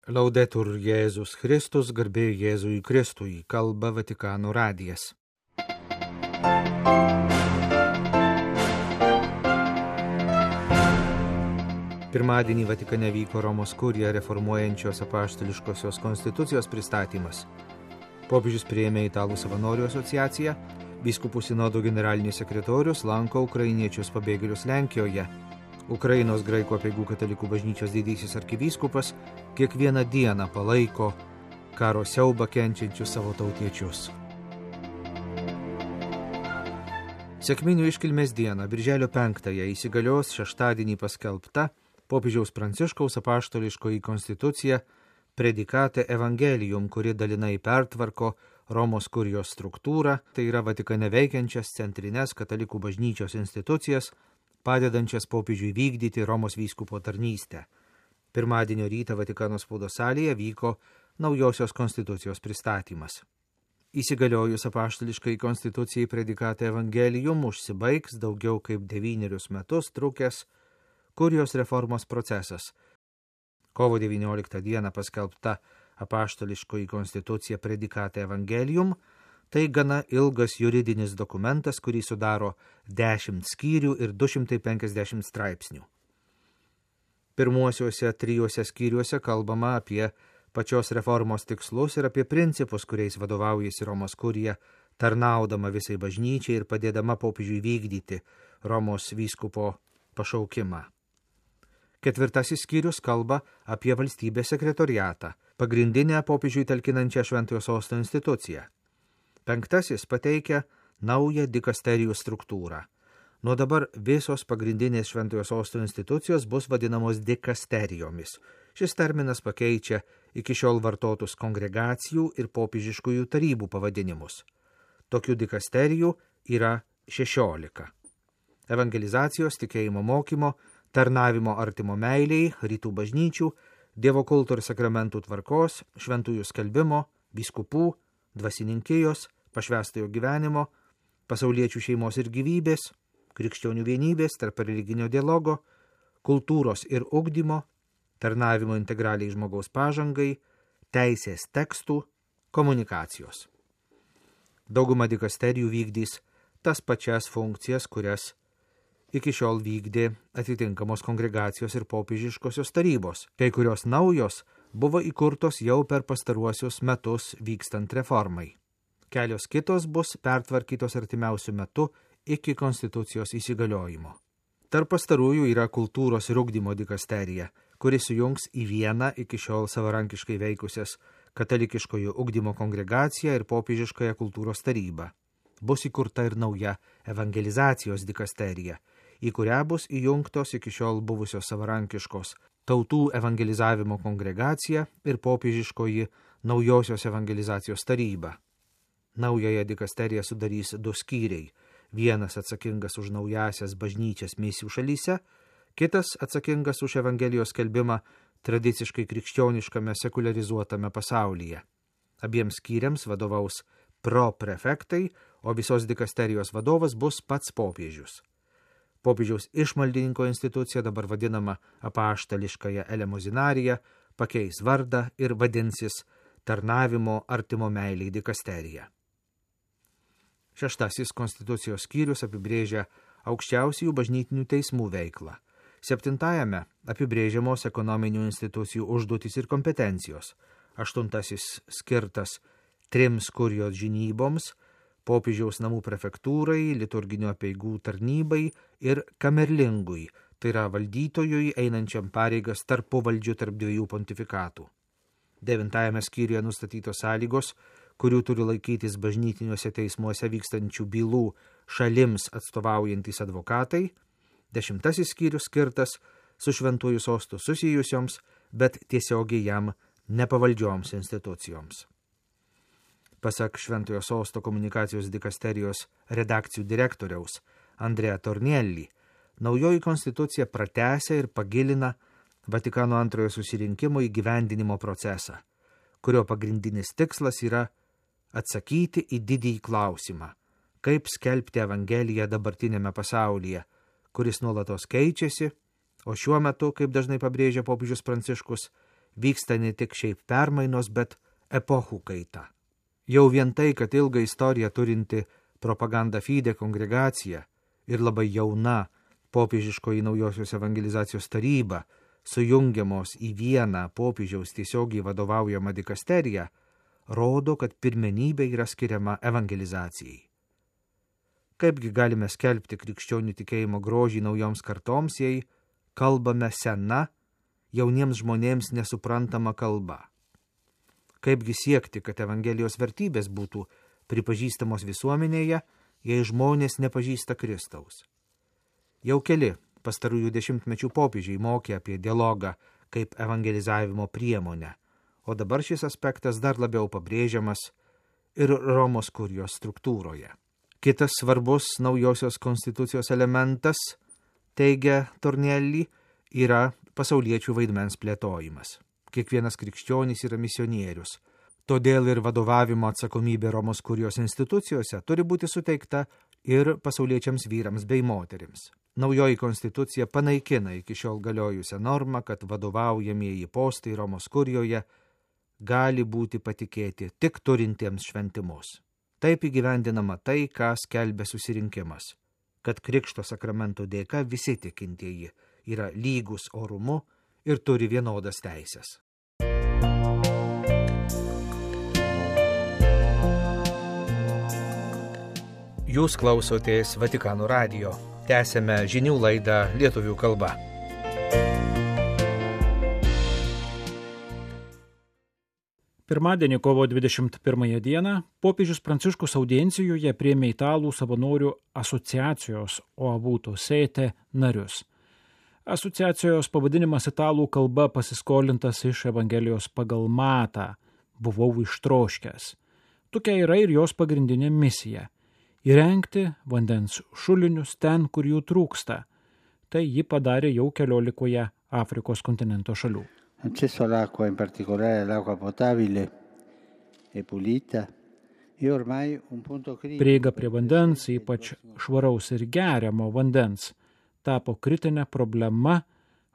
Laudetur Jėzus Kristus, garbė Jėzui Kristui, kalba Vatikano radijas. Pirmadienį Vatikane vyko Romos kurija reformuojančios apaštališkosios konstitucijos pristatymas. Popiežius priėmė Italų savanorių asociaciją, vyskupų sinodo generalinis sekretorius lanko ukrainiečius pabėgėlius Lenkijoje. Ukrainos graikų apeigų katalikų bažnyčios didysis arkivyskupas kiekvieną dieną palaiko karo siaubą kenčiančius savo tautiečius. Sekminių iškilmės dieną, birželio 5-ąją, įsigalios šeštadienį paskelbta popiežiaus Pranciškaus apaštališkoji konstitucija Predikate Evangelium, kuri dalinai pertvarko Romos kurijos struktūrą, tai yra Vatikane veikiančias centrinės katalikų bažnyčios institucijas, padedančias popiežiui vykdyti Romos vyskupo tarnystę. Pirmadienio rytą Vatikano spaudos salėje vyko naujosios konstitucijos pristatymas. Įsigaliojus apaštališkai konstitucijai Predikate Evangelium užsibaigs daugiau kaip 9 metus trukęs kurijos reformos procesas. Kovo 19 dieną paskelbta apaštališkoji konstitucija Predikate Evangelium tai gana ilgas juridinis dokumentas, kurį sudaro 10 skyrių ir 250 straipsnių. Pirmuosiuose 3 skyriuose kalbama apie pačios reformos tikslus ir apie principus, kuriais vadovaujasi Romos kurija, tarnaudama visai bažnyčiai ir padėdama popiežiui vykdyti Romos vyskupo pašaukimą. 4 skyrius kalba apie valstybės sekretoriatą, pagrindinę popiežiui talkinančią Šventojo Sosto instituciją. 5 pateikia naują dikasterijų struktūrą. Nuo dabar visos pagrindinės Šventojo Sosto institucijos bus vadinamos dikasterijomis. Šis terminas pakeičia iki šiol vartotus kongregacijų ir popiežiškųjų tarybų pavadinimus. Tokių dikasterijų yra 16. Evangelizacijos, tikėjimo mokymo, tarnavimo artimo meiliai, rytų bažnyčių, Dievo kulto ir sakramentų tvarkos, šventųjų skelbimo, vyskupų, dvasininkijos, pašvęstojo gyvenimo, pasauliečių šeimos ir gyvybės, krikščionių vienybės, tarp religinio dialogo, kultūros ir ugdymo, tarnavimo integraliai žmogaus pažangai, teisės tekstų, komunikacijos. Dauguma dikasterijų vykdys tas pačias funkcijas, kurias iki šiol vykdė atitinkamos kongregacijos ir popiežiškosios tarybos. Kai kurios naujos buvo įkurtos jau per pastaruosius metus vykstant reformai. Kelios kitos bus pertvarkytos artimiausių metų iki konstitucijos įsigaliojimo. Tarp pastarųjų yra kultūros ir ugdymo dikasterija, kuri sujungs į vieną iki šiol savarankiškai veikusias katalikiškojo ugdymo kongregaciją ir popiežiškąją kultūros tarybą. Bus įkurta ir nauja evangelizacijos dikasterija, į kurią bus įjungtos iki šiol buvusios savarankiškos tautų evangelizavimo kongregacija ir popiežiškoji naujosios evangelizacijos taryba. Naująją dikasteriją sudarys 2 skyriai. Vienas atsakingas už naujasias bažnyčias misijų šalyse, kitas atsakingas už evangelijos skelbimą tradiciškai krikščioniškame sekularizuotame pasaulyje. Abiems skyriams vadovaus proprefektai, o visos dikasterijos vadovas bus pats popiežius. Popiežiaus išmaldininko institucija, dabar vadinama apaštališkąja elemozinarija, pakeis vardą ir vadinsis tarnavimo artimo meiliai dikasterija. 6 konstitucijos skyrius apibrėžia aukščiausiųjų bažnytinių teismų veiklą. 7 apibrėžiamos ekonominių institucijų užduotys ir kompetencijos. 8 skirtas 3 kurijos žinyboms, popiežiaus namų prefektūrai, liturginio apeigų tarnybai ir kamerlingui, tai yra valdytojui einančiam pareigas tarpuvaldžių tarp 2 pontifikatų. 9 skyriuje nustatytos sąlygos, kurių turi laikytis bažnytiniuose teismuose vykstančių bylų šalims atstovaujantis advokatai. 10 skyrius skirtas su Šventuoju Sostu susijusioms, bet tiesiogiai jam nepavaldžioms institucijoms. Pasak Šventojo Sosto komunikacijos dikasterijos redakcijų direktoriaus Andrea Tornielli, naujoji konstitucija pratęsia ir pagilina Vatikano antrojo susirinkimo įgyvendinimo procesą, kurio pagrindinis tikslas yra atsakyti į didįjį klausimą, kaip skelbti Evangeliją dabartinėme pasaulyje, kuris nuolatos keičiasi, o šiuo metu, kaip dažnai pabrėžia popiežius Pranciškus, vyksta ne tik šiaip permainos, bet epochų kaita. Jau vien tai, kad ilgą istoriją turinti propaganda fide kongregacija ir labai jauna popiežiškoji naujosios evangelizacijos taryba, sujungiamos į vieną popiežiaus tiesiogiai vadovaujamą dikasteriją, rodo, kad pirmenybė yra skiriama evangelizacijai. Kaipgi galime skelbti krikščionių tikėjimo grožį naujoms kartoms, jei kalbame sena, jauniems žmonėms nesuprantama kalba? Kaipgi siekti, kad Evangelijos vertybės būtų pripažįstamos visuomenėje, jei žmonės nepažįsta Kristaus? Jau keli pastarųjų dešimtmečių popiežiai mokė apie dialogą kaip evangelizavimo priemonę, o dabar šis aspektas dar labiau pabrėžiamas ir Romos kurijos struktūroje. Kitas svarbus naujosios konstitucijos elementas, teigia Tornelli, yra pasauliečių vaidmens plėtojimas. Kiekvienas krikščionis yra misionierius. Todėl ir vadovavimo atsakomybė Romos kurijos institucijose turi būti suteikta ir pasauliečiams vyrams bei moterims. Naujoji konstitucija panaikina iki šiol galiojusią normą, kad vadovaujamieji postai Romos kurijoje gali būti patikėti tik turintiems šventimus. Taip įgyvendinama tai, ką skelbia susirinkimas, kad Krikšto sakramento dėka visi tikintieji yra lygus orumu ir turi vienodas teisės. Jūs klausotės Vatikano radijo. Tęsėme žinių laidą lietuvių kalba. Pirmadienį, kovo 21 dieną, popiežius Pranciškus audiencijoje priėmė Italų savanorių asociacijos Oavuto Sete narius. Asociacijos pavadinimas italų kalba pasiskolintas iš Evangelijos pagal Matą – buvau ištroškęs. Tokia yra ir jos pagrindinė misija – įrengti vandens šulinius ten, kur jų trūksta. Tai ji padarė jau 14 Afrikos kontinento šalių. Accesso all'acqua, in particolare all'acqua potabile e pulita, è ormai un punto critico. Prieiga prie vandens, ypač švaraus ir geriamo vandens, tapo kritinė problema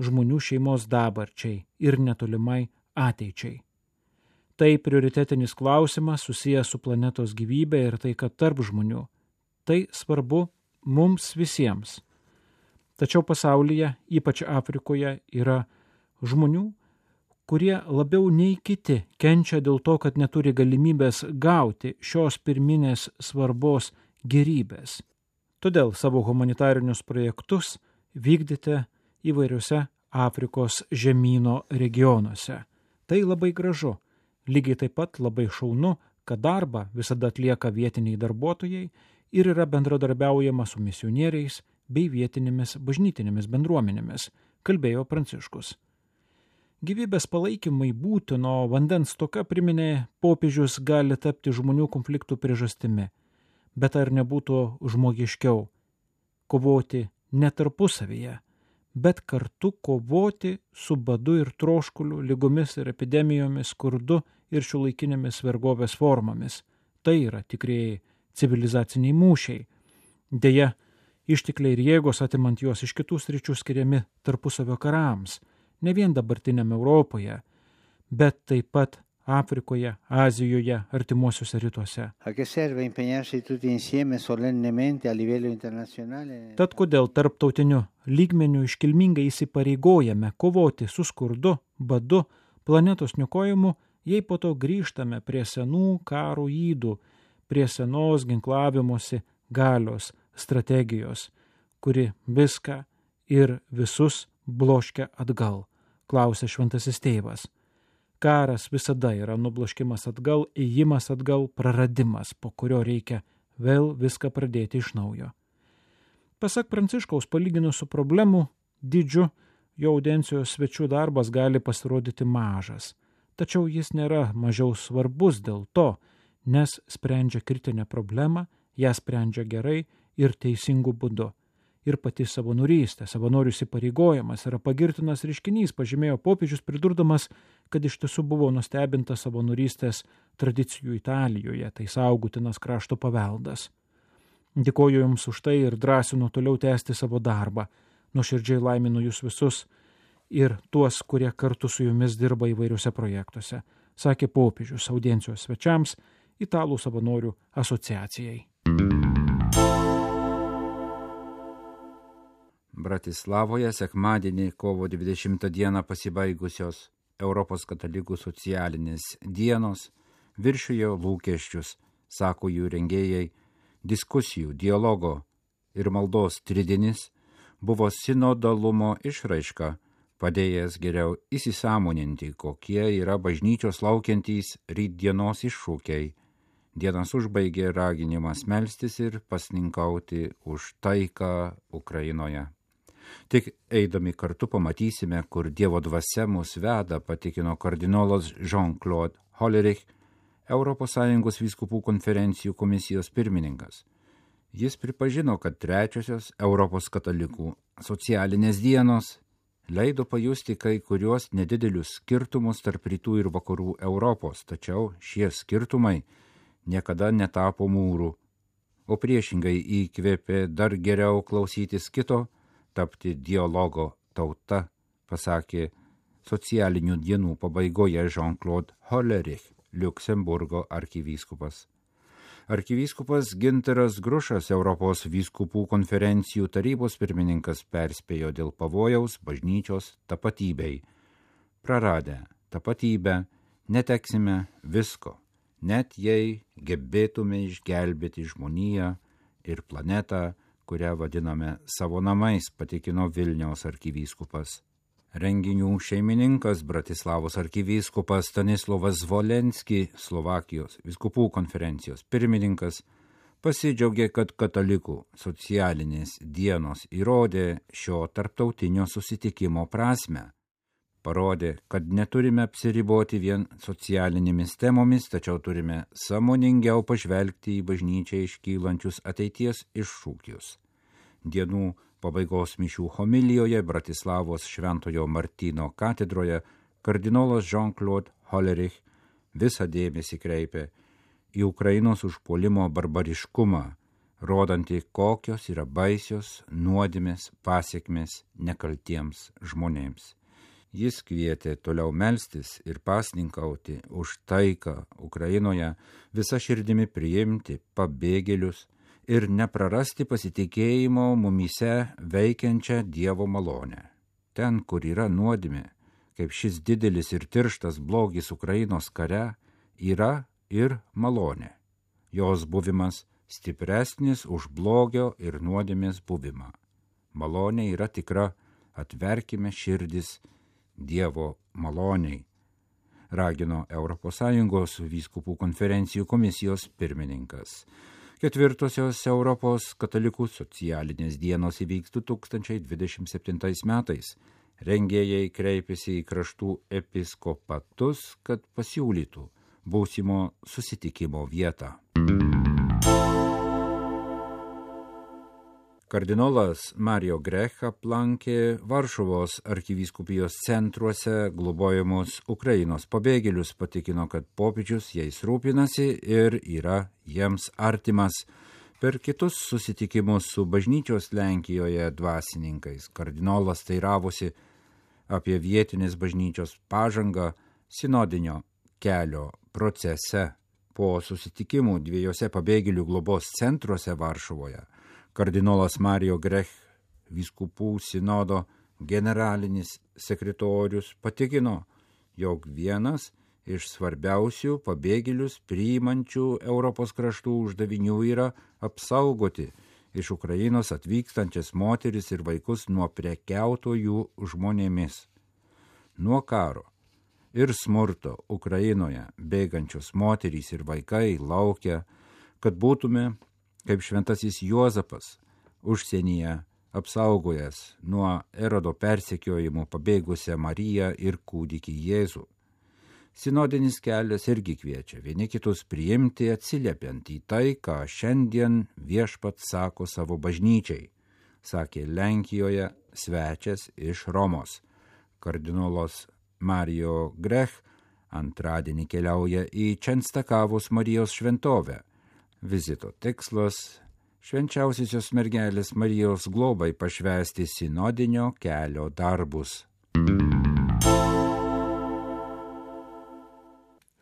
žmonių šeimos dabarčiai ir netolimai ateičiai. Tai prioritetinis klausimas susijęs su planetos gyvybė ir taika tarp žmonių. Tai svarbu mums visiems. Tačiau pasaulyje, ypač Afrikoje, yra žmonių, kurie labiau nei kiti kenčia dėl to, kad neturi galimybės gauti šios pirminės svarbos gerybės. Todėl savo humanitarinius projektus vykdyti įvairiuose Afrikos žemyno regionuose. Tai labai gražu. Lygiai taip pat labai šaunu, kad darbą visada atlieka vietiniai darbuotojai ir yra bendradarbiaujama su misionieriais bei vietinėmis bažnytinėmis bendruomenėmis, kalbėjo Pranciškus. Gyvybės palaikymai būtino vandens stoka, priminė popiežius, gali tapti žmonių konfliktų priežastimi, bet ar nebūtų žmogiškiau kovoti ne tarpusavyje, bet kartu kovoti su badu ir troškuliu, ligomis ir epidemijomis, skurdu ir šiuolaikinėmis vergovės formomis. Tai yra tikrieji civilizaciniai mūšiai. Deja, ištekliai ir jėgos atimant juos iš kitų sričių skiriami tarpusavio karams, ne vien dabartiniame Europoje, bet taip pat Afrikoje, Azijoje, artimuosiuose rytuose. Tad kodėl tarptautiniu lygmeniu iškilmingai įsipareigojame kovoti su skurdu, badu, planetos niokojimu, jei po to grįžtame prie senų karo ydų, prie senos ginklavimosi galios strategijos, kuri viską ir visus bloškia atgal, klausė šventasis tėvas. Karas visada yra nubloškimas atgal, ėjimas atgal, praradimas, po kurio reikia vėl viską pradėti iš naujo. Pasak Pranciškaus, palyginus su problemų dydžiu, jo audiencijos svečių darbas gali pasirodyti mažas, tačiau jis nėra mažiau svarbus dėl to, nes sprendžia kritinę problemą, ją sprendžia gerai ir teisingų būdu. Ir pati savanorystė, savanorių įsipareigojimas yra pagirtinas reiškinys, pažymėjo popiežius, pridurdamas, kad iš tiesų buvo nustebintas savanorystės tradicijų Italijoje, tai saugutinas krašto paveldas. Dėkoju Jums už tai ir drąsinu toliau tęsti savo darbą. Nuoširdžiai laiminu Jūs visus ir tuos, kurie kartu su jumis dirba įvairiuose projektuose, sakė popiežius audiencijos svečiams Italų savanorių asociacijai. Bratislavoje sekmadienį kovo 20 dieną pasibaigusios Europos katalikų socialinės dienos viršijo lūkesčius, sako jų rengėjai. Diskusijų, dialogo ir maldos tridinis buvo sinodalumo išraiška, padėjęs geriau įsisąmoninti, kokie yra bažnyčios laukiantys rytdienos iššūkiai. Dienas užbaigė raginimas melstis ir pasninkauti už taiką Ukrainoje. Tik eidami kartu pamatysime, kur Dievo dvasia mus veda, patikino kardinolas Jean-Claude Hollerich, ES vyskupų konferencijų komisijos pirmininkas. Jis pripažino, kad trečiosios Europos katalikų socialinės dienos leido pajusti kai kuriuos nedidelius skirtumus tarp rytų ir vakarų Europos, tačiau šie skirtumai niekada netapo mūrų, o priešingai įkvėpė dar geriau klausytis kito, tapti dialogo tauta, pasakė socialinių dienų pabaigoje Jean-Claude Hollerich, Liuksemburgo arkivyskupas. Arkivyskupas Gintaras Grušas, Europos vyskupų konferencijų tarybos pirmininkas, perspėjo dėl pavojaus bažnyčios tapatybei. Praradę tapatybę neteksime visko, net jei gebėtume išgelbėti žmoniją ir planetą, kurią vadiname savo namais, patikino Vilniaus arkivyskupas. Renginių šeimininkas Bratislavos arkivyskupas Stanislovas Zvolenski, Slovakijos vyskupų konferencijos pirmininkas, pasidžiaugė, kad katalikų socialinės dienos įrodė šio tarptautinio susitikimo prasmę. Parodė, kad neturime apsiriboti vien socialinėmis temomis, tačiau turime sąmoningiau pažvelgti į bažnyčią iškylančius ateities iššūkius. Dienų pabaigos mišių homilijoje Bratislavos Šventojo Martyno katedroje kardinolas Jean-Claude Hollerich visą dėmesį kreipė į Ukrainos užpuolimo barbariškumą, rodantį, kokios yra baisios nuodėmės pasekmės nekaltiems žmonėms. Jis kvietė toliau melstis ir pasninkauti už taiką Ukrainoje, visa širdimi priimti pabėgėlius ir neprarasti pasitikėjimo mumyse veikiančią Dievo malonę. Ten, kur yra nuodėmė, kaip šis didelis ir tirštas blogis Ukrainos kare, yra ir malonė. Jos buvimas stipresnis už blogio ir nuodėmės buvimą. Malonė yra tikra, atverkime širdis Dievo maloniai, ragino ES vyskupų konferencijų komisijos pirmininkas. Ketvirtosios Europos katalikų socialinės dienos įvyks 2027 metais. Rengėjai kreipėsi į kraštų episkopatus, kad pasiūlytų būsimo susitikimo vietą. Kardinolas Mario Grech aplankė Varšuvos arkivyskupijos centruose globojamus Ukrainos pabėgėlius, patikino, kad popiežius jais rūpinasi ir yra jiems artimas. Per kitus susitikimus su bažnyčios Lenkijoje dvasininkais kardinolas teiravosi apie vietinės bažnyčios pažangą sinodinio kelio procese. Po susitikimų dviejose pabėgėlių globos centruose Varšuvoje kardinolas Mario Grech, vyskupų sinodo generalinis sekretorius, patikino, jog vienas iš svarbiausių pabėgėlius priimančių Europos kraštų uždavinių yra apsaugoti iš Ukrainos atvykstančias moteris ir vaikus nuo prekiautojų žmonėmis. Nuo karo ir smurto Ukrainoje bėgančios moterys ir vaikai laukia, kad būtume kaip šventasis Juozapas užsienyje apsaugojęs nuo Erodo persekiojimų pabėgusią Mariją ir kūdikį Jėzų. Sinodinis kelias irgi kviečia vieni kitus priimti, atsiliepiant į tai, ką šiandien viešpats sako savo bažnyčiai, sakė Lenkijoje svečias iš Romos. Kardinolas Mario Grech antradienį keliauja į Čenstakavos Marijos šventovę. Vizito tikslas – švenčiausiosios mergelės Marijos globai pašvęsti sinodinio kelio darbus.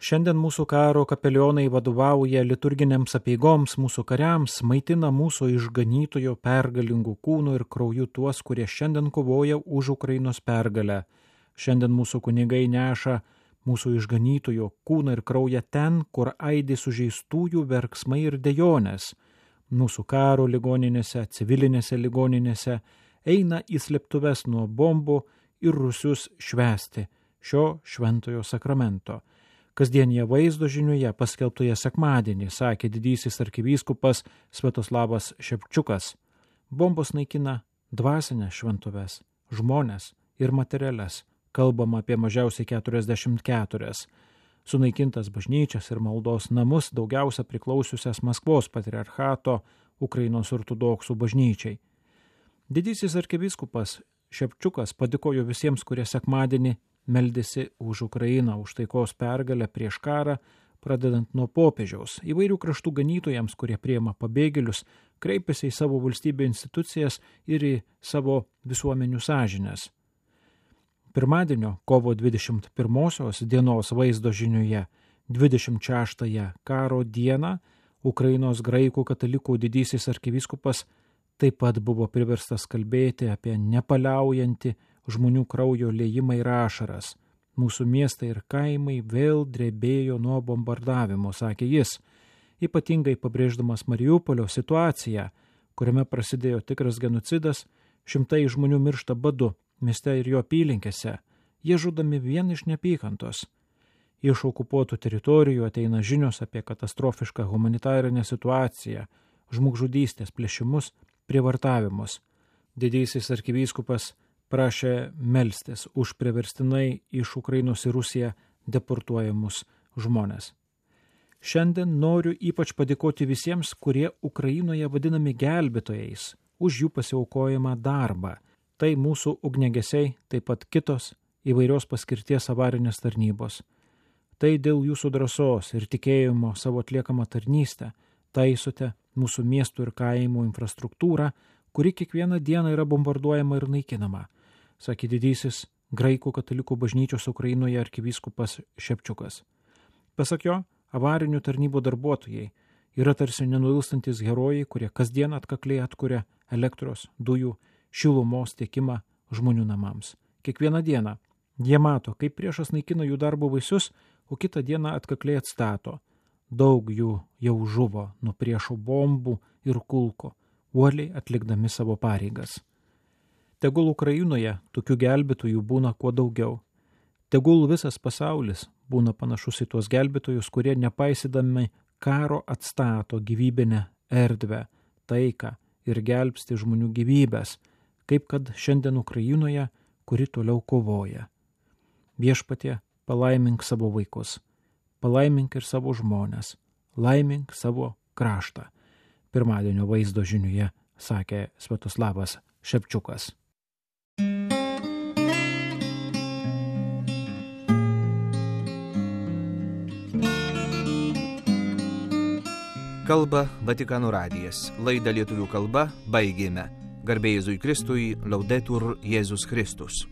Šiandien mūsų karo kapelionai vadovauja liturginėms apeigoms, mūsų kariams, maitina mūsų išganytojo pergalingų kūnų ir krauju tuos, kurie šiandien kovoja už Ukrainos pergalę. Šiandien mūsų kunigai neša mūsų išganytojo kūną ir kraują ten, kur aidi sužeistųjų verksmai ir dejonės. Mūsų karo ligoninėse, civilinėse ligoninėse eina į slėptuves nuo bombų ir rusius švęsti šio šventojo sakramento. Kasdienėje vaizdo žiniuje paskelbtoje sekmadienį, sakė didysis arkivyskupas Sviatoslavas Šepčiukas, bombos naikina dvasinės šventuves, žmones ir materialias. Kalbama apie mažiausiai 44. Sunaikintas bažnyčias ir maldos namus, daugiausia priklausiusias Maskvos patriarchato Ukrainos ortodoksų bažnyčiai. Didysis arkivyskupas Šepčiukas padėkojo visiems, kurie sekmadienį meldėsi už Ukrainą, už taikos pergalę prieš karą, pradedant nuo popiežiaus, įvairių kraštų ganytojams, kurie priima pabėgėlius, kreipiasi į savo valstybę institucijas ir į savo visuomenių sąžinės. Pirmadienio, kovo 21 dienos vaizdo žiniuje, 26 karo dieną, Ukrainos graikų katalikų didysis arkivyskupas taip pat buvo priverstas kalbėti apie nepaliaujantį žmonių kraujo liejimą ir ašaras. Mūsų miestai ir kaimai vėl drebėjo nuo bombardavimo, sakė jis, ypatingai pabrėždamas Mariupolio situaciją, kuriame prasidėjo tikras genocidas, šimtai žmonių miršta badu mieste ir jo apylinkėse, jie žudomi vien iš neapykantos. Iš okupuotų teritorijų ateina žinios apie katastrofišką humanitarinę situaciją, žmogžudystės, plėšimus, prievartavimus. Didysis arkivyskupas prašė melstis už priverstinai iš Ukrainos į Rusiją deportuojamus žmonės. Šiandien noriu ypač padėkoti visiems, kurie Ukrainoje vadinami gelbėtojais, už jų pasiaukojimą darbą. Tai mūsų ugniagesiai, taip pat kitos įvairios paskirties avarinės tarnybos. Tai dėl jūsų drąsos ir tikėjimo savo atliekamą tarnystę taisote mūsų miestų ir kaimų infrastruktūrą, kuri kiekvieną dieną yra bombarduojama ir naikinama, sakė didysis graikų katalikų bažnyčios Ukrainoje arkivyskupas Šepčiukas. Pasak jo, avarinių tarnybų darbuotojai yra tarsi nenuilstantis herojai, kurie kasdien atkakliai atkuria elektros, dujų, šilumos tiekimą žmonių namams. Kiekvieną dieną jie mato, kaip priešas naikina jų darbo vaisius, o kitą dieną atkakliai atstato. Daug jų jau žuvo nuo priešo bombų ir kulkų, uoliai atlikdami savo pareigas. Tegul Ukrainoje tokių gelbėtojų būna kuo daugiau. Tegul visas pasaulis būna panašus į tuos gelbėtojus, kurie nepaisydami karo atstato gyvybinę erdvę, taiką ir gelbsti žmonių gyvybės, kaip kad šiandien Ukrainoje, kuri toliau kovoja. Viešpatie, palaimink savo vaikus, palaimink ir savo žmones, laimink savo kraštą. Pirmadienio vaizdo žiniuje sakė Sviatoslavas Šepčiukas. Kalba Vatikano radijas. Laidą lietuvių kalba baigėme. Garbė Jėzui Kristui, Laudetur Jėzus Kristus.